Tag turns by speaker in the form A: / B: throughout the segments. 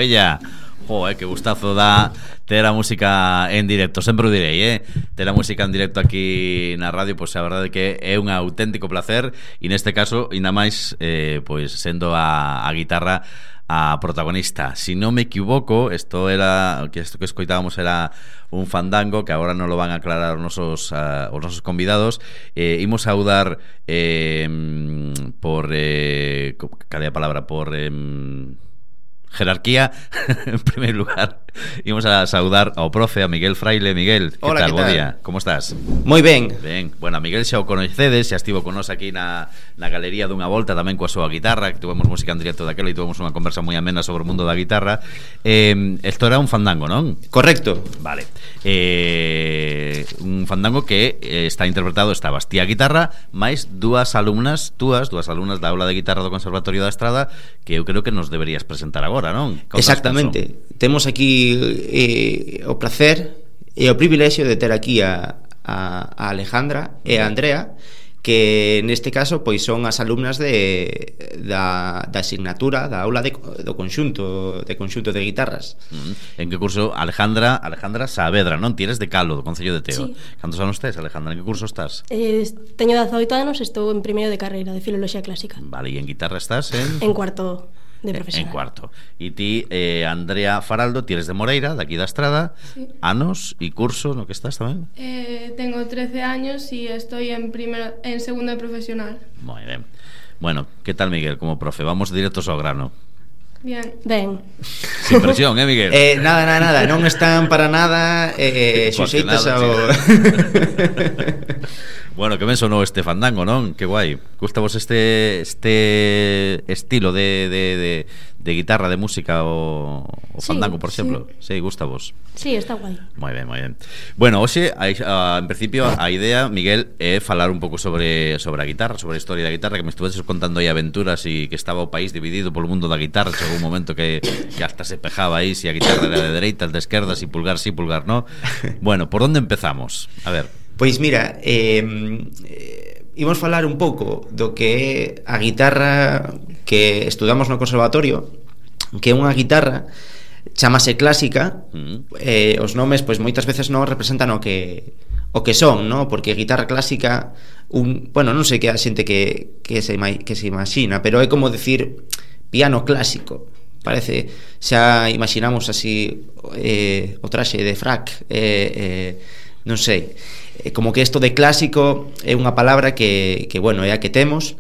A: Bella. Que gustazo dá ter a música en directo. Sempre o direi, ter a música en directo aquí na radio, pois a verdade que é un auténtico placer. E neste caso, ainda máis, pois sendo a guitarra a protagonista. Si non me equivoco, isto que escoitábamos era un fandango que agora non lo van a aclarar os nosos convidados. Imos saudar por cal é a palabra, por jerarquía. En primer lugar, íbamos a saudar ao profe, a Miguel Fraile. Miguel, que
B: Hola,
A: tal?
B: ¿qué tal?
A: Bo día, como estás?
B: Moi ben.
A: Ben, bueno, a Miguel xa o conocedes, xa estivo con nos aquí na galería dunha volta tamén coa súa guitarra, que tuvemos música en directo daquela e tuvemos unha conversa moi amena sobre o mundo da guitarra. Isto era un fandango, non?
B: Correcto.
A: Vale. Un fandango que estabas ti a guitarra máis dúas alumnas da aula de guitarra do Conservatorio da Estrada, que eu creo que nos deberías presentar agora, non?
B: Exactamente. Temos aquí o placer e o privilexio de ter aquí a Alejandra e a Andrea, que neste caso pois son as alumnas da asignatura da aula do conxunto de guitarras.
A: En que curso? Alejandra Saavedra, non? Ti eres de Calo, do Concello de Teo.
C: Sí.
A: Cantos anos tes, Alejandra? En que curso estás?
C: Teño 18 anos, estou en primeiro de carreira de Filoloxía Clásica.
A: Vale, e en guitarra estás en
C: cuarto de profesional.
A: En cuarto. E ti, Andrea Faraldo, ti eres de Moreira, daqui da Estrada.
D: Sí.
A: Anos e curso no que estás tamén?
D: Tengo 13 años y estoy en segundo de profesional.
A: Moi ben. Bueno, que tal, Miguel, como profe? Vamos directos ao grano.
D: Bien.
C: Ben.
A: Sin presión, Miguel?
B: Nada, non están para nada xuxeitas ao...
A: Bueno, que ben sonou este fandango, non? Que guai. Gusta vos este estilo de guitarra, de música, o fandango, por exemplo? Sí, gusta vos.
C: Sí, está guai.
A: Moi ben, moi ben. Bueno, hoxe, en principio, a idea, Miguel, é falar un pouco sobre a guitarra, sobre a historia da guitarra, que me estuveses contando aí aventuras e que estaba o país dividido polo mundo da guitarra. Chegou un momento que hasta se pejaba aí si a guitarra era de dereitas, de esquerdas, si pulgar sí, pulgar no. Bueno, por onde empezamos? A ver.
B: Pois mira, imos falar un pouco do que é a guitarra que estudamos no conservatorio, que é unha guitarra chamase clásica. Os nomes pois moitas veces non representan o que son, ¿no? Porque guitarra clásica, bueno, non sei que a xente que se imagina, pero é como decir piano clásico. Parece, xa imaginamos así o traxe de frac, non sei, como que isto de clásico é unha palabra que bueno, é a que temos,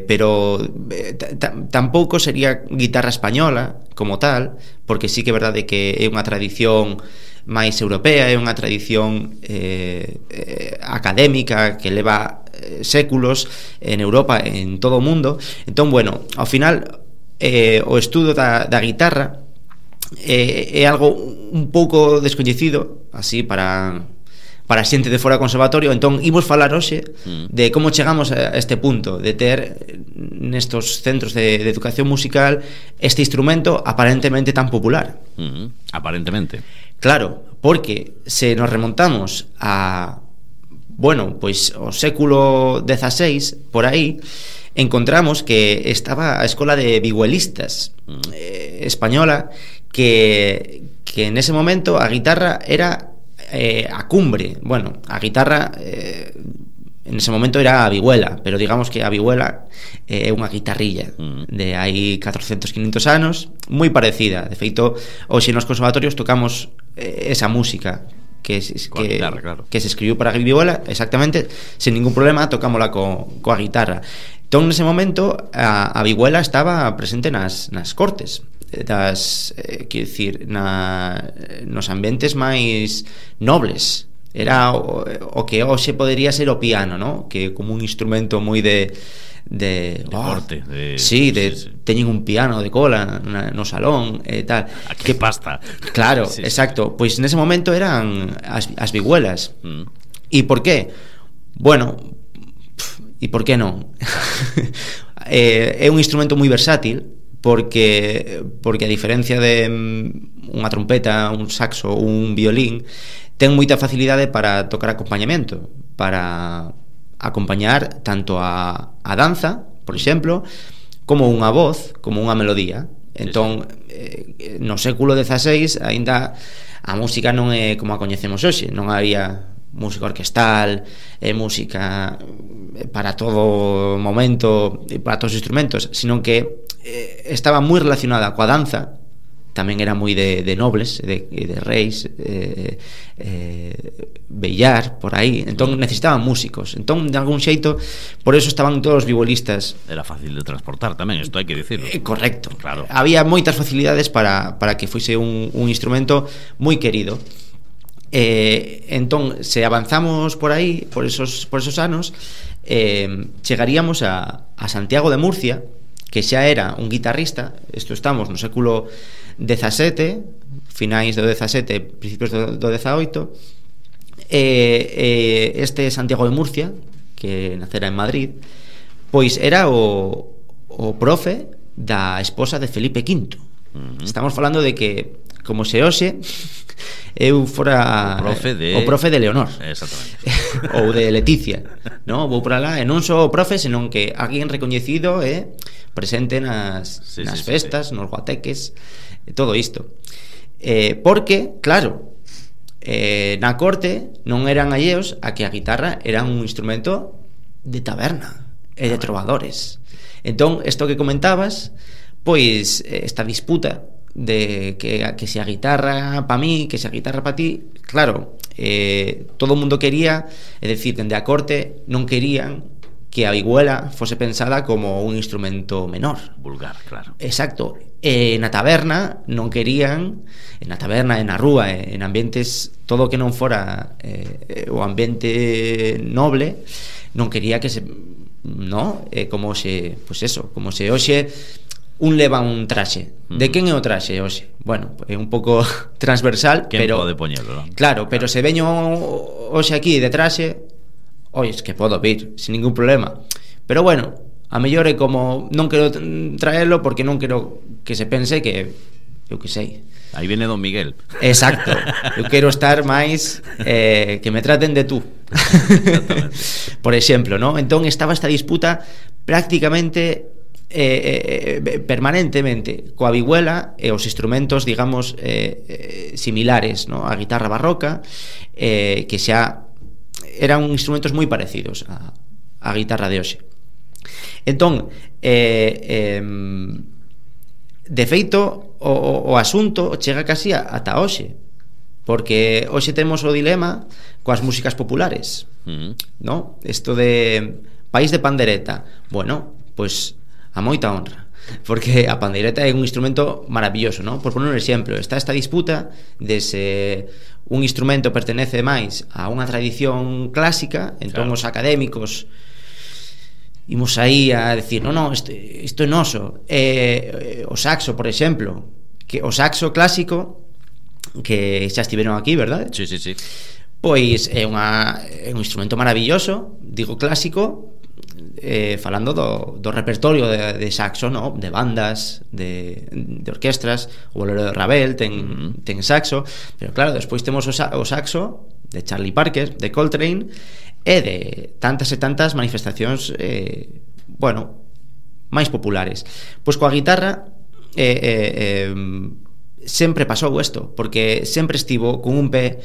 B: pero tampouco sería guitarra española como tal, porque sí que é verdade que é unha tradición máis europea, é unha tradición académica que leva séculos en Europa, en todo o mundo. Entón, bueno, ao final o estudo da guitarra é algo un pouco descoñecido así para a xente de fora do conservatorio. Entón imos falar hoxe de como chegamos a este punto de ter nestos centros de educación musical este instrumento aparentemente tan popular.
A: Aparentemente.
B: Claro, porque se nos remontamos a, bueno, pois o século XVI, por aí, encontramos que estaba a escola de vihuelistas española, que en ese momento a guitarra era a cumbre. Bueno, a guitarra en ese momento era a vihuela, pero digamos que a vihuela é unha guitarrilla de hai 400, 500 anos, moi parecida. De feito, hoxe nos conservatorios tocamos esa música que guitarra, claro, que se escribiu para a vihuela, exactamente, sin ningún problema, tocámola coa guitarra. Entón, nese momento, a vihuela estaba presente nas cortes, quero dicir, nos ambientes máis nobles. Era o que hoxe podería ser o piano, ¿no? Que como un instrumento moi de
A: corte,
B: sí, teñen un piano de cola no salón e tal.
A: Que pasta.
B: Claro,
A: sí,
B: exacto. Pois nese momento eran as vihuelas. E por qué? Bueno, e por qué non? É un instrumento moi versátil, porque a diferencia de unha trompeta, un saxo, un violín, ten moita facilidade para tocar acompañamento, para acompañar tanto a danza, por exemplo, como unha voz, como unha melodía. Entón, no século XVI aínda a música non é como a coñecemos hoxe, non había música orquestal, música para todo momento, para todos os instrumentos, sino que estaba moi relacionada coa danza. Tamén era moi de nobles, de reis, bellar, por aí. Entón necesitaban músicos. Entón, de algún xeito, por eso estaban todos os vihuelistas.
A: Era fácil de transportar tamén, isto hai que dicirlo.
B: Correcto,
A: claro.
B: Había moitas facilidades para que fuese un instrumento moi querido. Entón, se avanzamos por aí, por esos anos, chegaríamos a Santiago de Murcia, que xa era un guitarrista. Isto estamos no século XVII, finais do XVII, principios do XVIII. Este Santiago de Murcia, que nacera en Madrid, pois era o profe da esposa de Felipe V. Estamos falando de que, como se hoxe, eu fora o profe de Leonor.
A: Exactamente.
B: Ou de Leticia, no? Vou por alá, e non só o profe, senón que alguén recoñecido presente nas festas, nos guateques, todo isto. Porque, claro, na corte non eran alleos a que a guitarra era un instrumento de taberna e de trovadores. Entón, isto que comentabas, pois esta disputa de que se a guitarra pa mí, que se a guitarra pa ti, claro, todo o mundo quería, é dicir, dende a corte non querían que a vihuela fose pensada como un instrumento menor,
A: vulgar, claro.
B: Exacto. Na taberna non querían, na taberna, na rúa, en ambientes, todo o que non fora o ambiente noble, non quería que se, no, como se, pois eso, como se hoxe un leva un traxe. De quen é o traxe hoxe? Bueno, é un pouco transversal,
A: quen
B: pero
A: pode poñelo, non?
B: Claro, pero se veño hoxe aquí de traxe, oi, es que podo vir sin ningún problema. Pero bueno, a mellor é como non quero traelo porque non quero que se pense que eu que sei.
A: Aí viene Don Miguel.
B: Exacto. Eu quero estar máis que me traten de tú. Por exemplo, ¿no? Entón estaba esta disputa prácticamente permanentemente coa vihuela e os instrumentos, digamos, similares, ¿no? A guitarra barroca, que xa eran instrumentos moi parecidos a guitarra de hoxe. Entón, de feito, o asunto chega casi ata hoxe, porque hoxe temos o dilema coas músicas populares, ¿no? Isto de país de pandereta. Bueno, pois a moita honra, porque a pandeireta é un instrumento maravilloso, ¿no? Por poner un exemplo, está esta disputa de se un instrumento pertenece máis a unha tradición clásica, entón claro, os académicos imos aí a decir, no, isto é noso. O saxo, por exemplo, que o saxo clásico, que xa estiveron aquí, verdade?
A: Sí.
B: Pois é un instrumento maravilloso, digo clásico, falando do repertorio de saxo, no? De bandas, de orquestras. O bolero de Ravel ten saxo, pero claro, despois temos o saxo de Charlie Parker, de Coltrane, e de tantas e tantas manifestacións bueno, máis populares. Pois coa guitarra sempre pasou isto, porque sempre estivo cun pé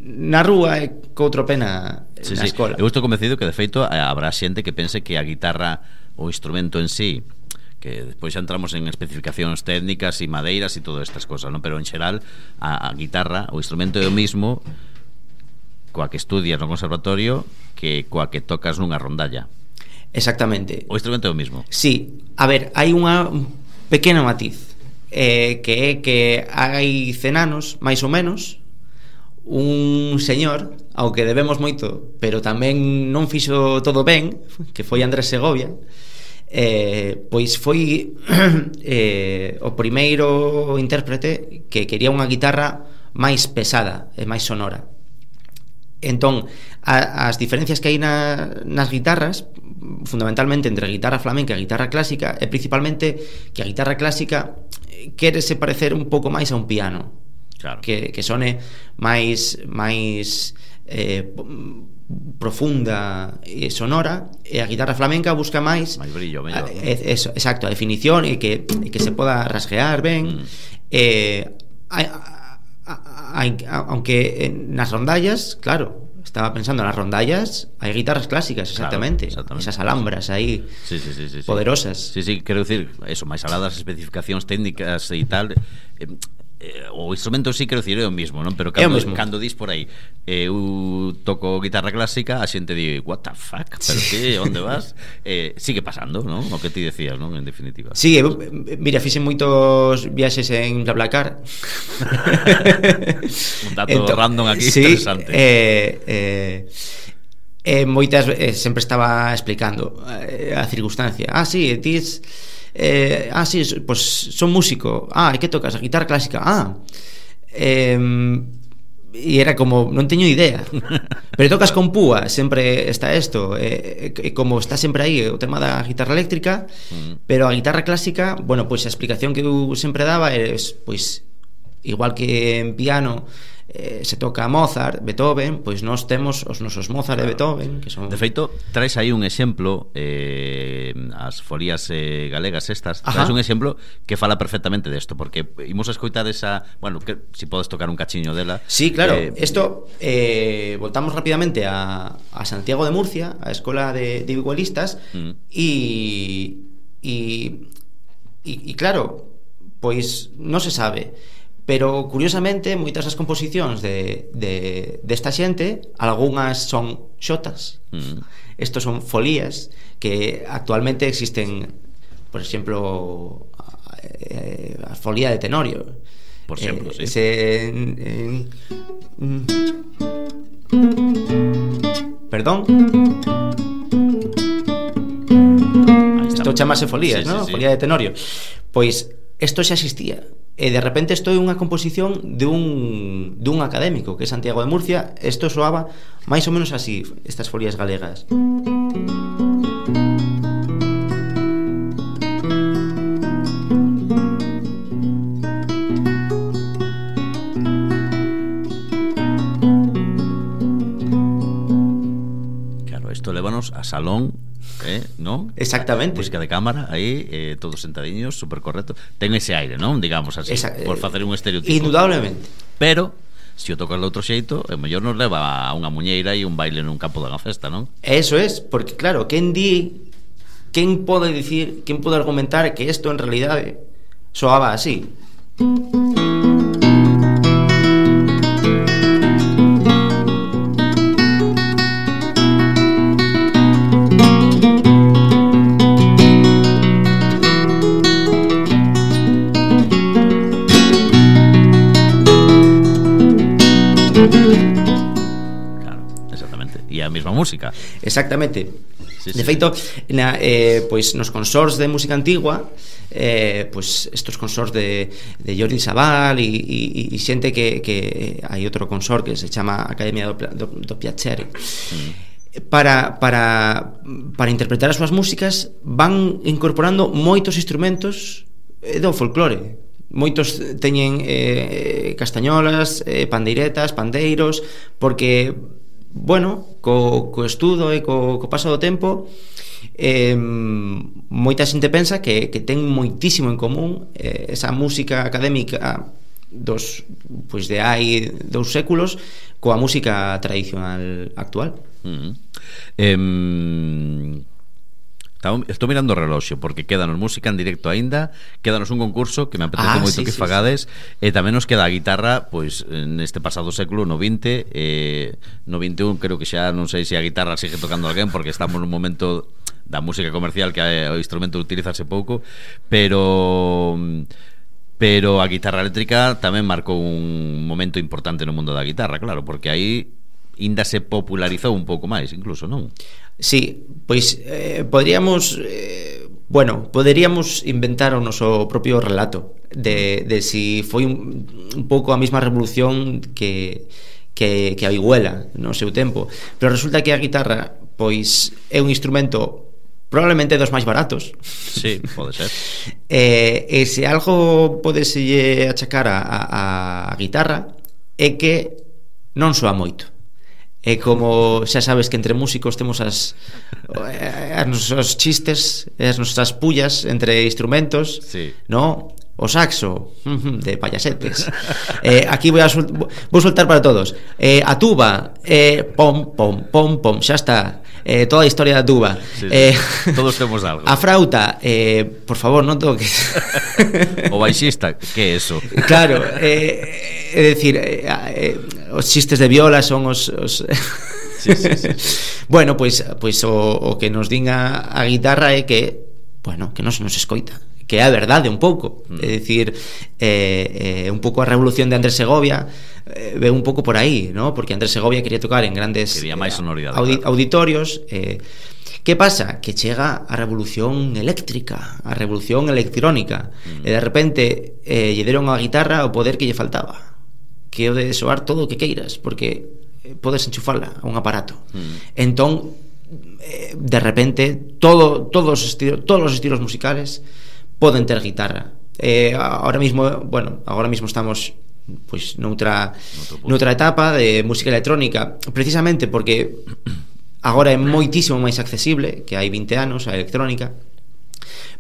B: na rúa e co outro pé na escola.
A: Eu estou convencido que de feito habrá xente que pense que a guitarra, o instrumento en sí, que despois xa entramos en especificacións técnicas e madeiras e todas estas cosas, ¿no? Pero en xeral a guitarra, o instrumento é o mismo coa que estudias no conservatorio que coa que tocas nunha rondalla.
B: Exactamente.
A: O instrumento é o mismo.
B: Sí, a ver, hai unha pequeno matiz, que é que hai 100 anos, máis ou menos, un señor ao que debemos moito, pero tamén non fixo todo ben, que foi Andrés Segovia, pois foi o primeiro intérprete que quería unha guitarra máis pesada e máis sonora. Entón, as diferencias que hai nas guitarras, fundamentalmente entre a guitarra flamenca e a guitarra clásica, é principalmente que a guitarra clásica quérese parecer un pouco máis a un piano, claro, que sone máis profunda e sonora, e a guitarra flamenca busca máis
A: brillo, mellor.
B: Eso, exacto, a definición e que se poda rasguear ben. Aunque nas rondallas, claro, estaba pensando nas rondallas, hai guitarras clásicas, exactamente,
A: claro,
B: esas alhambras aí
A: sí.
B: poderosas.
A: Sí, quero dicir, eso, máis alá das especificacións técnicas e tal, o instrumento sí, quero dicir, é o mismo, non? Pero cando dis por aí eu toco guitarra clásica, a xente di, what the fuck, pero que, onde vas? Sigue pasando, non? O que ti decías, non? En definitiva.
B: Sí, mira, fixen moitos viaxes en BlaBlaCar.
A: Un dato random aquí,
B: sí,
A: interesante.
B: Moitas sempre estaba explicando a circunstancia. Sí, tis... sí, pues son músico. ¿Y qué tocas? A guitarra clásica. E era como, non teño idea. Pero tocas con púa, sempre está isto. Como está sempre aí o tema da guitarra eléctrica, pero a guitarra clásica, bueno, pois a explicación que eu sempre daba é, pois, igual que en piano se toca Mozart, Beethoven, pois nós temos os nosos Mozart e Beethoven, que son...
A: De feito, traes aí un exemplo, as folías galegas estas, traes un exemplo que fala perfectamente desto, porque imos a escoitar esa, bueno, que si podes tocar un cachiño dela.
B: Sí, claro, esto voltamos rapidamente a Santiago de Murcia, a escola de igualistas, e claro, pois non se sabe. Pero, curiosamente, moitas das composicións desta xente, algunhas son xotas. Estos son folías que actualmente existen, por exemplo, a folía de Tenorio.
A: Por exemplo, sí.
B: Perdón. Isto chamase folías, ¿no? Folía de Tenorio. Pois isto xa existía. E de repente isto é unha composición dun académico que é Santiago de Murcia. Isto soaba máis ou menos así, estas folías galegas.
A: Claro, isto lévanos a salón, non?
B: Exactamente.
A: Música de cámara, aí, todos sentadiños, super correcto. Ten ese aire, non? Digamos así, por facer un estereotipo.
B: Indudablemente.
A: Pero, se o tocas de outro xeito, o mellor nos leva a unha muñeira e un baile nun campo dunha festa, non?
B: Eso es, porque claro, quen pode dicir, quen pode argumentar que isto en realidade soaba así?
A: Mesma música.
B: Exactamente.
A: Sí,
B: de feito, pois nos consors de música antigua, pois estos consors de Jordi Sabal e xente que hai outro consor que se chama Academia do Piacere. Para interpretar as súas músicas van incorporando moitos instrumentos do folclore. Moitos teñen castañolas, pandeiretas, pandeiros, porque bueno, co estudo e co paso do tempo, moita xente pensa que ten moitísimo en común esa música académica pois de hai 2 séculos coa música tradicional actual.
A: Estou mirando o reloxo porque quédanos música en directo aínda, quédanos un concurso que me apetece moito que fagades, e tamén nos queda a guitarra, pois neste pasado século, no 20, no 21 creo que xa non sei se a guitarra sigue tocando alguén, porque estamos nun momento da música comercial que o instrumento utilizase pouco, pero a guitarra eléctrica tamén marcou un momento importante no mundo da guitarra, claro, porque aí ainda se popularizou un pouco máis, incluso, non?
B: Sí, pois poderíamos inventar o noso propio relato de si foi un pouco a mesma revolución que a vihuela no seu tempo, pero resulta que a guitarra pois é un instrumento probablemente dos máis baratos.
A: Sí, pode ser.
B: E se algo podese achacar a guitarra é que non soa moito. E como xa sabes que entre músicos temos os chistes, as nosas pullas entre instrumentos,
A: sí.
B: ¿no? O saxo, de payasetes. Aquí vou soltar para todos. A tuba, pom, pom, pom, pom, xa está. Toda a historia da tuba.
A: Sí, sí. Todos temos algo.
B: A frauta, por favor, non toques.
A: O baixista, que é eso?
B: Claro, é dicir, os chistes de viola son os
A: sí, sí, sí.
B: Bueno, pois o que nos din a guitarra é que, bueno, que non se nos escoita, que é a verdade un pouco. É dicir, un pouco a revolución de Andrés Segovia ve un pouco por aí, ¿no? Porque Andrés Segovia quería tocar en grandes auditorios. Que pasa? Que chega a revolución eléctrica, a revolución electrónica, e de repente lle deron a guitarra o poder que lle faltaba, que o de soar todo o que queiras, porque podes enchufarla a un aparato. Entón, de repente todos os estilos musicales poden ter guitarra. Ahora mismo estamos pois noutra etapa de música electrónica, precisamente porque agora é moitísimo máis accesible que hai 20 anos a electrónica.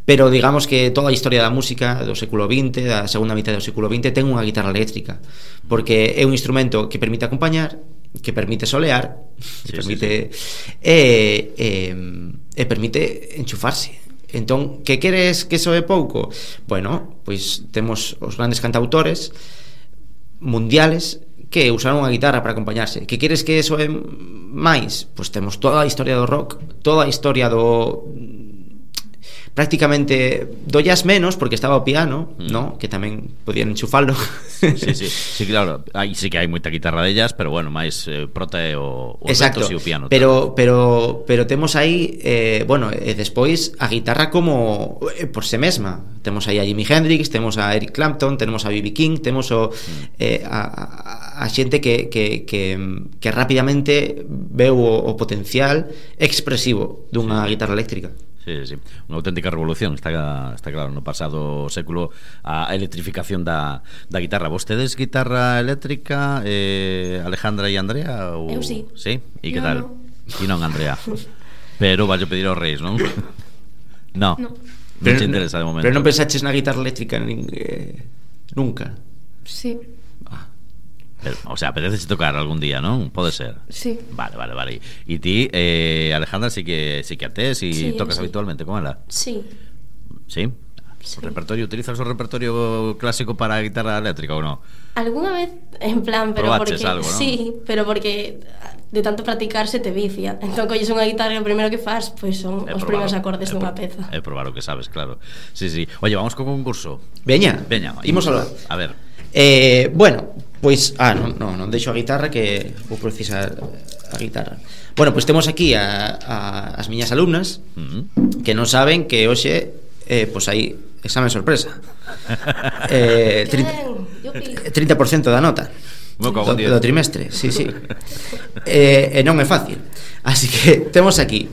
B: Pero digamos que toda a historia da música do século XX, da segunda mitad do século XX, ten unha guitarra eléctrica, porque é un instrumento que permite acompañar, que permite solear, que permite permite enchufarse. Entón, que queres que soe pouco? Bueno, pois temos os grandes cantautores mundiales que usaron a guitarra para acompañarse. Que queres que soe máis? Pois temos toda a historia do rock, toda a historia do prácticamente do jazz menos, porque estaba o piano, ¿no? Que tamén podían enchufalo.
A: Sí, claro, aí sí que hai moita guitarra de jazz, pero bueno, máis prota é o
B: exacto,
A: e o piano.
B: Pero temos aí despois a guitarra como por se mesma. Temos aí a Jimi Hendrix, temos a Eric Clapton, temos a B.B. King, temos a xente que rapidamente veu o potencial expresivo dunha guitarra eléctrica.
A: Sí, unha auténtica revolución. Está claro, no pasado século a electrificación da guitarra. Vostedes guitarra eléctrica, Alejandra e Andrea?
C: Eu sí.
A: Sí? E que tal? E non Andrea. Pero vai pedir aos reis, non? No. Non te interesa de momento.
B: Pero non pensaches na guitarra eléctrica nunca?
D: Sí.
A: Pero, o sea, apetece tocar algún día, ¿no? Pode ser.
D: Sí.
A: Vale. E ti, Alejandra, sí que a tes e tocas habitualmente con ela?
C: Sí.
A: Sí? O repertorio, utilizas o repertorio clásico para a guitarra eléctrica ou non?
C: Alguna vez, en plan, pero
A: probaches
C: porque
A: algo, ¿no?
C: Sí, pero porque de tanto practicar se te vicia. Entón colles unha guitarra e o primeiro que fas pois son os primeiros acordes dunha peza.
A: É probar o que sabes, claro. Sí. Oye, vamos co concurso.
B: Veña, imos alá.
A: A ver.
B: Bueno, pois non deixo a guitarra, que vou precisar a guitarra. Bueno, pois temos aquí as miñas alumnas que non saben que hoxe pois hai examen sorpresa. 30% da nota do trimestre. Sí. E non é fácil. Así que temos aquí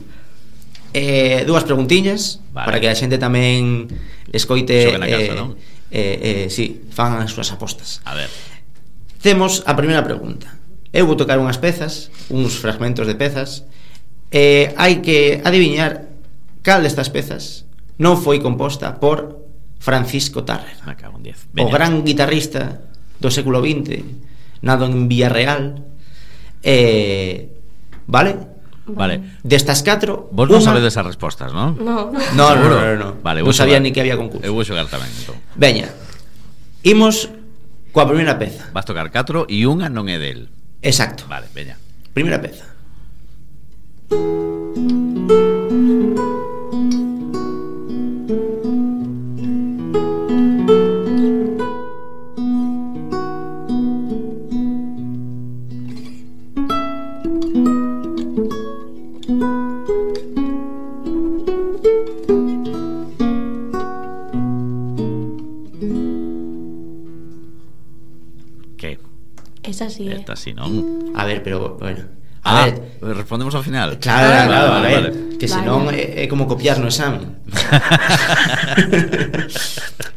B: dúas preguntiñas, vale, para que a xente tamén escoite
A: na casa, non?
B: Sí, fan as súas apostas.
A: A ver.
B: Temos a primeira pregunta. Eu vou tocar unhas pezas, uns fragmentos de pezas, hai que adiviñar cal destas pezas non foi composta por Francisco Tárrega, o gran guitarrista do século XX, nado en Villarreal. Vale? Destas 4,
A: vos non sabedes as respostas, non?
C: No.
A: Vale,
B: non sabía ni que había concurso.
A: Eu vou xogar tamén, entón.
B: Veña, imos coa primeira peza.
A: Vas tocar 4 e unha non é del.
B: Exacto.
A: Vale, veña.
B: Primeira peza.
C: Esa sí,
A: Esta sí, non?
B: A ver, pero, bueno,
A: a ver, respondemos ao final.
B: Claro, a ver,
A: vale.
B: que senón é como copiar no examen.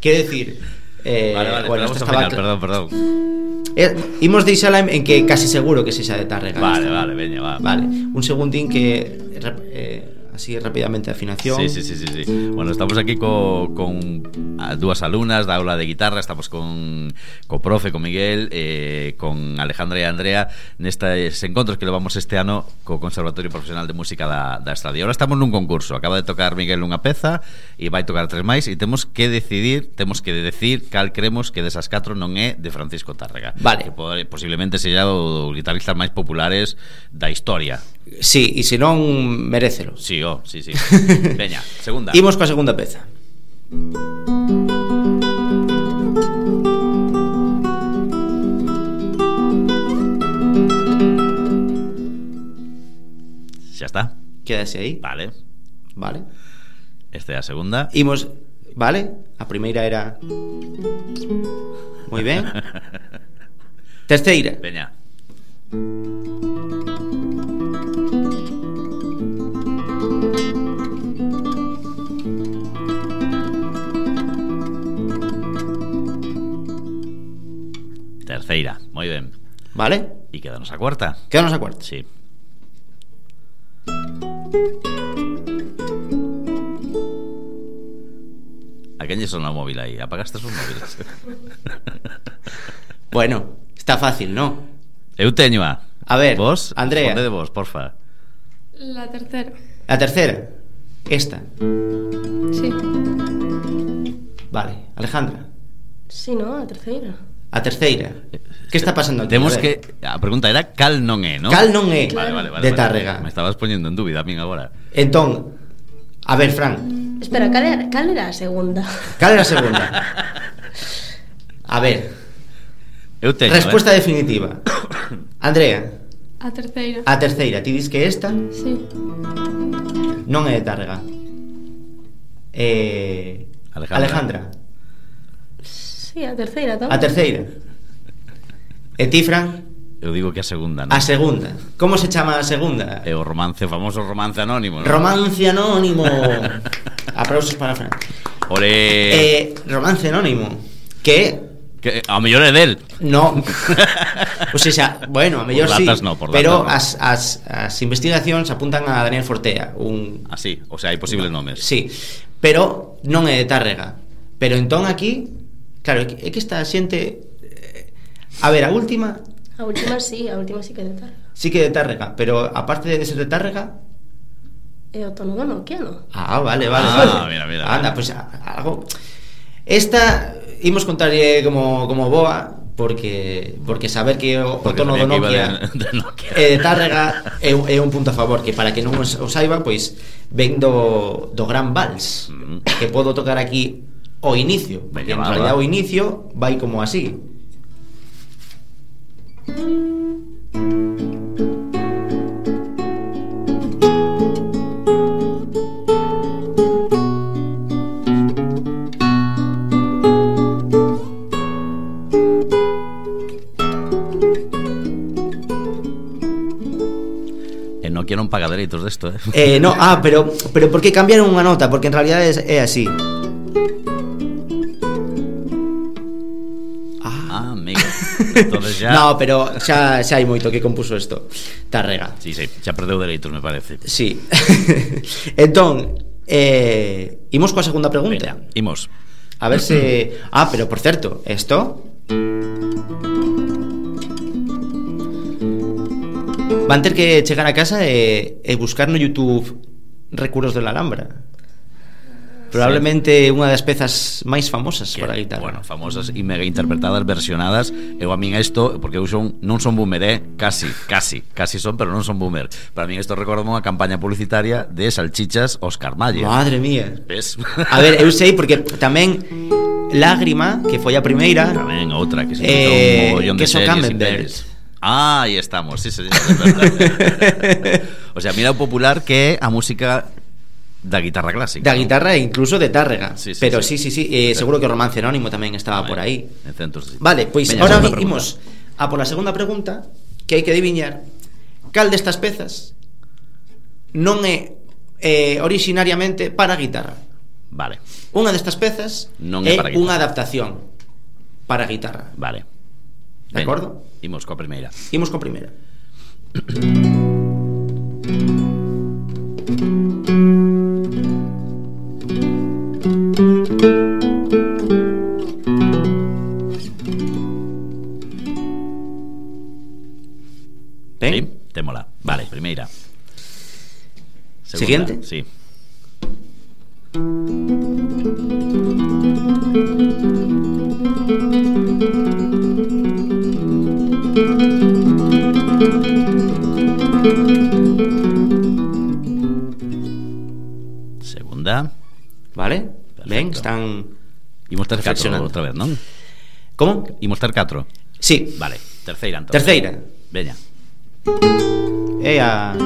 B: Quero decir,
A: vale,
B: bueno,
A: ao final, perdón.
B: Imos deixala en que casi seguro que sexa de Tárrega.
A: Vale,
B: esta.
A: vale, veña, va.
B: Vale, un segundín que así rápidamente a afinación.
A: Sí. Bueno, estamos aquí con dúas alumnas da aula de guitarra. Estamos co profe, con Miguel, con Alejandra e Andrea nestes encontros que levamos este ano co Conservatorio Profesional de Música da Estrada. E agora estamos nun concurso. Acaba de tocar Miguel unha peza e vai tocar 3 máis e temos que decir cal creemos que desas 4 non é de Francisco Tárrega.
B: Vale.
A: Que posiblemente seja o guitarristas máis populares da historia.
B: Sí, e se non merécelo.
A: Sí. Veña, segunda.
B: Imos coa segunda peza.
A: Xa está.
B: Quédase aí.
A: Vale. Esta é a segunda.
B: Imos, vale? A primeira era moi ben. Terceira.
A: Veña. Terceira, moi ben.
B: Vale?
A: E quedanos a cuarta.
B: Quedanos a cuarta.
A: Sí. A quen lle sona o móvil aí? Apagaste os móviles?
B: Bueno, está fácil, ¿no?
A: Eu teño a
B: ver,
A: vos,
B: Andrea.
A: responde de vos, porfa.
D: La tercera.
B: La tercera. Esta.
D: Sí.
B: Vale, Alejandra.
C: Sí, no, a terceira.
B: A terceira. Que está pasando aquí?
A: Temos
B: A ver.
A: que a pregunta era cal non é, ¿no?
B: Cal non é
C: Claro.
A: Vale,
B: de Tárrega.
A: Me estabas poñendo en dúbida a min agora.
B: Entón, a ver, Fran,
C: Espera, cal era a segunda?
B: cal era a segunda? A ver,
A: Eu teño,
B: resposta definitiva. Andrea,
D: A terceira.
B: a terceira. Ti dis que esta
D: Sí.
B: non é de Tárrega. Alejandra.
C: Sí, a terceira tamén.
B: A terceira. E ti, Fran?
A: Eu digo que a segunda, ¿no?
B: A segunda. Como se chama a segunda?
A: É o famoso romance anónimo, ¿no?
B: Romance anónimo. Aplausos para Fran.
A: Ore...
B: Romance anónimo. Que
A: a mellor é del.
B: no. O sea, bueno, a mellor
A: Por
B: sí.
A: datas no, por
B: pero
A: datas
B: as investigacións apuntan a Daniel Fortea,
A: Así, o sea, hai posibles nomes.
B: Sí, pero non é de Tárrega. Pero entón aquí, claro, é que esta xente a ver, a última
C: A última sí que é de Tárrega.
B: sí que é de Tárrega, pero aparte de ser de Tárrega.
C: É o tono do Nokia, no?
B: Ah, vale.
A: Mira.
B: Anda, pues algo. Esta imos contarlle como boa, porque saber que o tono do Nokia
A: de Nokia.
B: de Tárrega é un punto a favor, que para que non o saiba, pois ven do Gran Vals, que podo tocar aquí o inicio, porque en realidad o inicio vai como así.
A: Nokia non paga dereitos desto,
B: No, pero por que cambiaron unha nota? Porque en realidad é así.
A: Amigo. Entonces ya...
B: No, pero xa hai moito que compuso isto Tárrega.
A: Sí, xa perdeu dereitos, me parece.
B: Sí. Entón, imos coa segunda pregunta.
A: Venga, imos.
B: A ver se... pero por certo, isto van ter que chegar a casa e buscar no YouTube Recuerdos de la Alhambra. Probablemente unha das pezas máis famosas para a guitarra.
A: Bueno, famosas e mega interpretadas, versionadas. Eu a min isto, porque eu non son boomer, casi son, pero non son boomer. Para min isto recorda unha campaña publicitaria de salchichas Oscar Mayer.
B: Madre mía.
A: Ves?
B: A ver, eu sei porque tamén Lágrima, que foi a primeira,
A: tamén outra que se hizo un mogollón de
B: que son
A: series
B: Camembert.
A: Ahí estamos, sí, señor. O sea, mira o popular que é a música da guitarra clásica.
B: Da guitarra e incluso de Tárrega.
A: Sí,
B: pero sí. Seguro que o Romance Anónimo tamén estaba por aí. Vale, pois
A: Veña,
B: ahora
A: segunda
B: imos a pola segunda pregunta, que hai que adiviñar cal destas pezas non é originariamente para guitarra.
A: Vale.
B: Unha destas pezas
A: Non é para guitarra.
B: unha adaptación para guitarra.
A: Vale.
B: De acordo?
A: Imos coa primeira.
B: Imos coa primeira. Ben?
A: Sí, témola. Vale, primeira. Segunda.
B: Siguiente?
A: Sí. Segunda.
B: Vale?
A: Perfecto.
B: Ben, están
A: Imos ter 4
B: reflexionando.
A: outra vez, non?
B: Como?
A: Imos ter 4.
B: Sí.
A: Vale, terceira entón.
B: Terceira.
A: Veña.
B: É a...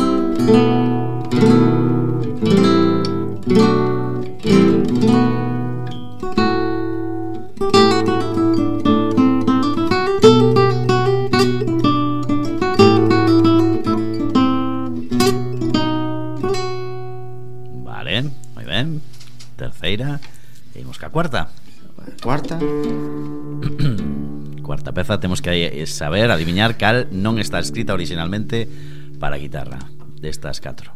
A: Vale, moi ben. Terceira. E imos ca cuarta.
B: Cuarta.
A: Cuarta peza, temos que saber, adiviñar cal non está escrita originalmente para guitarra destas 4.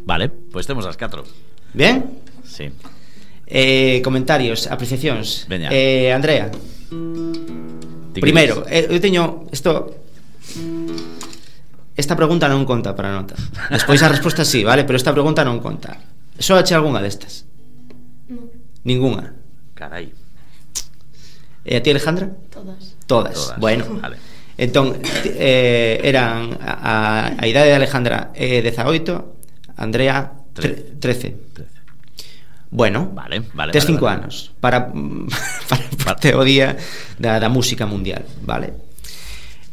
A: Vale, pois temos as 4.
B: Ben?
A: Sí.
B: Comentarios, apreciacións.
A: Veña.
B: Andrea.
A: Ti
B: Primeiro,
A: queres?
B: eu teño esta pregunta non conta para a nota. Despois a resposta sí, vale, pero esta pregunta non conta. Só eche algunha destas?
D: No.
B: Ninguna.
A: Carai.
B: E a ti, Alejandra?
C: Todas.
B: Todas.
A: Todas.
B: Bueno.
A: Vale.
B: Entón, eran a idade de Alejandra 18, Andrea 13.
A: 13.
B: Bueno,
A: Vale.
B: tes 5 anos para o día da música mundial, vale?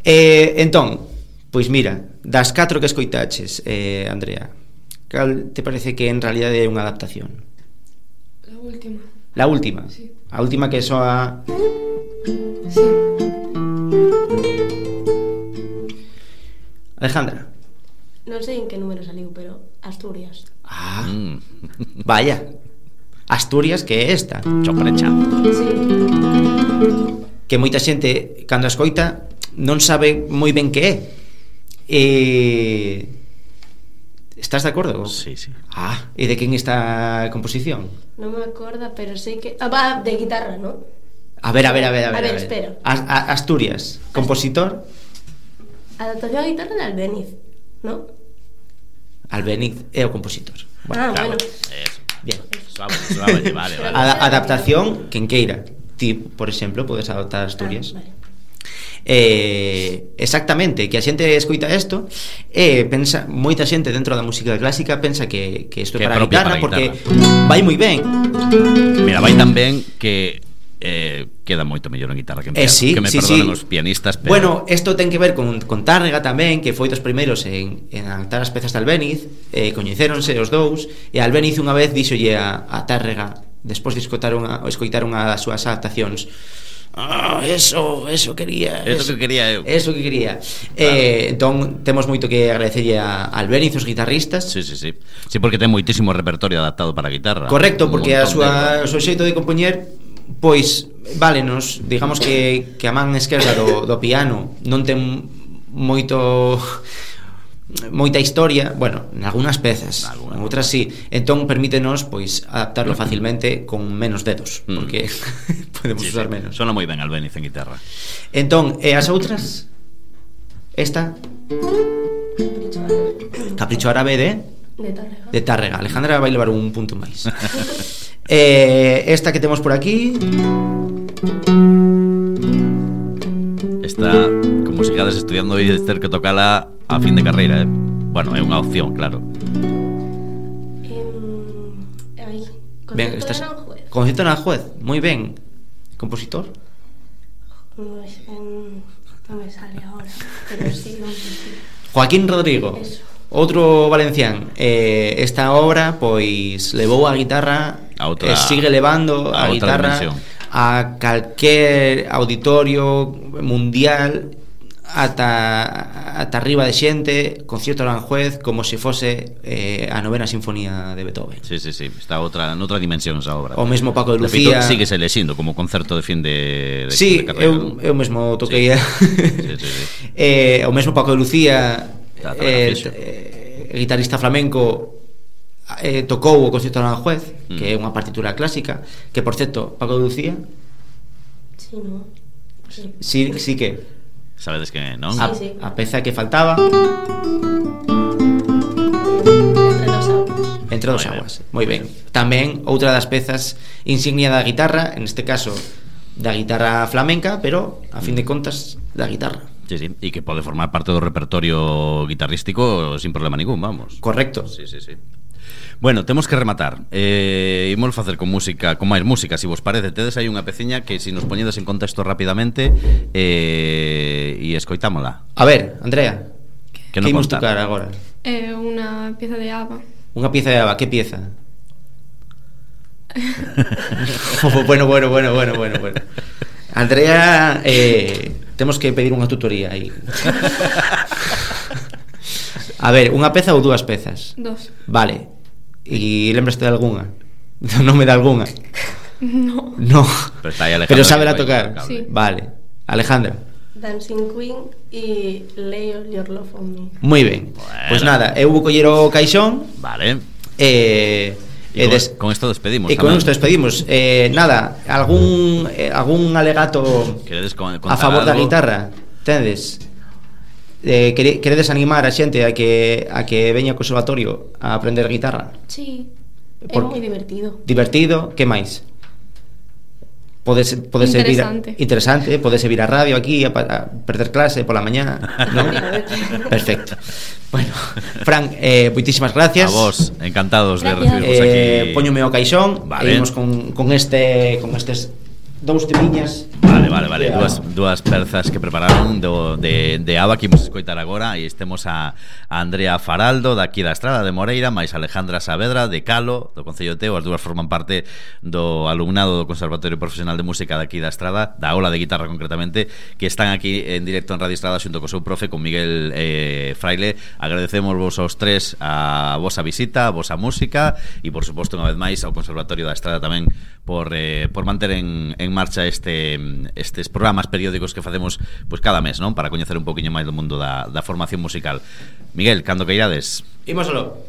B: Entón, pois mira, das 4 que escoitaches, Andrea, cal te parece que en realidade é unha adaptación?
D: La última.
B: La última?
D: Sí.
B: A última que soa...
D: Sí.
B: Alejandra?
C: Non sei en que número saliu, pero Asturias.
B: Ah, vaya. Asturias, que é esta,
A: Choprecha.
C: Sí.
B: que moita xente cando a escoita non sabe moi ben que é. Estás de acordo?
A: Sí, sí.
B: Ah, e de quen está a composición?
C: Non me acorda, pero sei que... va, de guitarra, ¿no?
B: A ver,
C: espero.
B: Asturias, compositor
C: Adaptación a guitarra de Albéniz, ¿no?
B: Albéniz é o compositor.
C: Bueno.
A: Eso.
B: Bien.
A: Suave, vale.
B: Adaptación, quen queira. Ti, por exemplo, podes adaptar Asturias.
C: Vale.
B: Exactamente, que a xente escoita isto e pensa, moita xente dentro da música clásica pensa que isto é
A: Que é
B: para a
A: propio
B: guitarra
A: para a
B: porque
A: guitarra.
B: vai moi ben.
A: Mira, vai tan ben que queda moito mellor en guitarra que en piano.
B: Sí,
A: que me
B: sí,
A: perdonen
B: sí.
A: os pianistas, pero...
B: Bueno, isto ten que ver con Tárrega tamén, que foi dos primeiros en adaptar as pezas de Albéniz. Coñecéronse os dous e Albéniz unha vez díxolle a Tárrega, despois de escoitar unha das súas adaptacións: eso quería.
A: Eso que quería eu.
B: Eso que quería.
A: Claro.
B: Entón temos moito que agradecerlle a Albéniz, os guitarristas.
A: Sí. Sí, porque ten moitísimo repertorio adaptado para a guitarra.
B: Correcto, porque
A: Un montón
B: o seu xeito de compoñer, pois, válenos, digamos que a man esquerda do piano non ten moita historia, bueno, en algunhas pezas, en outras sí. Entón permítenos pois adaptarlo facilmente con menos dedos, porque podemos usar menos.
A: Sona moi ben Albéniz en guitarra.
B: Entón, e as outras? Esta Capricho Árabe de Tárrega. Alejandra vai levar un punto máis. Esta que temos por aquí,
A: Esta, como se quedas estudiando e ter que tocala a fin de carreira, Bueno, é unha opción, claro.
C: Aí,
B: ben,
C: Concerto de Aranjuez.
B: Concerto de Aranjuez, moi ben. Compositor?
C: Non me sale ahora, pero sí, sí.
B: Joaquín Rodrigo.
C: Eso.
B: Outro valencián. Esta obra pois levou a guitarra e sigue levando a guitarra
A: dimensión.
B: a calquer auditorio mundial ata arriba de xente, concierto Aranjuez como se fose a novena sinfonía de Beethoven.
A: Sí, está noutra dimensión esa obra.
B: O mesmo Paco de
A: Lucía.
B: Lucía.
A: Síguese lexindo como concerto de fin de
B: sí,
A: carreira.
B: Eu mesmo toquei.
A: Sí.
B: O mesmo Paco de Lucía, guitarrista flamenco, tocou o concierto Aranjuez, que é unha partitura clásica, que por certo, Paco de Lucía.
C: Sí, no.
B: Sí que
A: sabedes que non?
C: Sí.
B: A peza que faltaba Entre dos aguas. Moi ben. Tamén outra das pezas insignia da guitarra, en este caso da guitarra flamenca, pero a fin de contas da guitarra.
A: Sí, e que pode formar parte do repertorio guitarrístico sin problema ningún, vamos.
B: Correcto.
A: Sí. Bueno, temos que rematar. Imos facer con música, con máis música, se vos parece. Tedes aí unha peciña que se nos poñedes en contexto rapidamente e escoitámola.
B: A ver, Andrea,
A: que
B: imos tocar agora?
D: Unha pieza de ABBA.
B: Unha pieza de ABBA, que pieza? Bueno. Andrea, temos que pedir unha tutoría aí. A ver, unha peza ou dúas pezas?
D: Dos.
B: Vale. E lembraste de algunha? Do nome de algunha? No. Pero saberá tocar.
D: Sí.
B: Vale. Alejandra.
C: Dancing Queen e Lay All Your Love On Me.
B: Moi ben. Pois nada, eu vou coller o caixón.
A: Vale. Con isto despedimos.
B: E con isto despedimos. Nada, algún alegato a favor da guitarra? Tedes? Queredes animar a xente a que veña ao conservatorio a aprender guitarra?
C: Sí, é moi divertido.
B: Divertido, que máis? Pode ser interesante, pode vir a radio aquí a perder clase pola mañá, ¿no? Perfecto. Bueno, Fran, moitísimas gracias.
A: A vos, encantados de recibirvos aquí.
B: Póñome o caixón,
A: vale.
B: E imos con estes dous temiñas.
A: Vale. Dúas pezas que prepararon de ABBA que imos escoitar agora. E estemos a Andrea Faraldo daqui da Estrada de Moreira, máis Alejandra Saavedra de Calo, do Concello de Teo. As dúas forman parte do alumnado do Conservatorio Profesional de Música daqui da Estrada, da aula de guitarra concretamente, que están aquí en directo en Radio Estrada xunto co seu profe, con Miguel Fraile. Agradecemos vos aos tres a vosa visita, a vosa música e por suposto unha vez máis ao Conservatorio da Estrada tamén por manter en marcha estes programas periódicos que facemos pois cada mes, non? Para coñecer un poquinho máis do mundo da formación musical. Miguel, cando queirades.
B: Imos aló.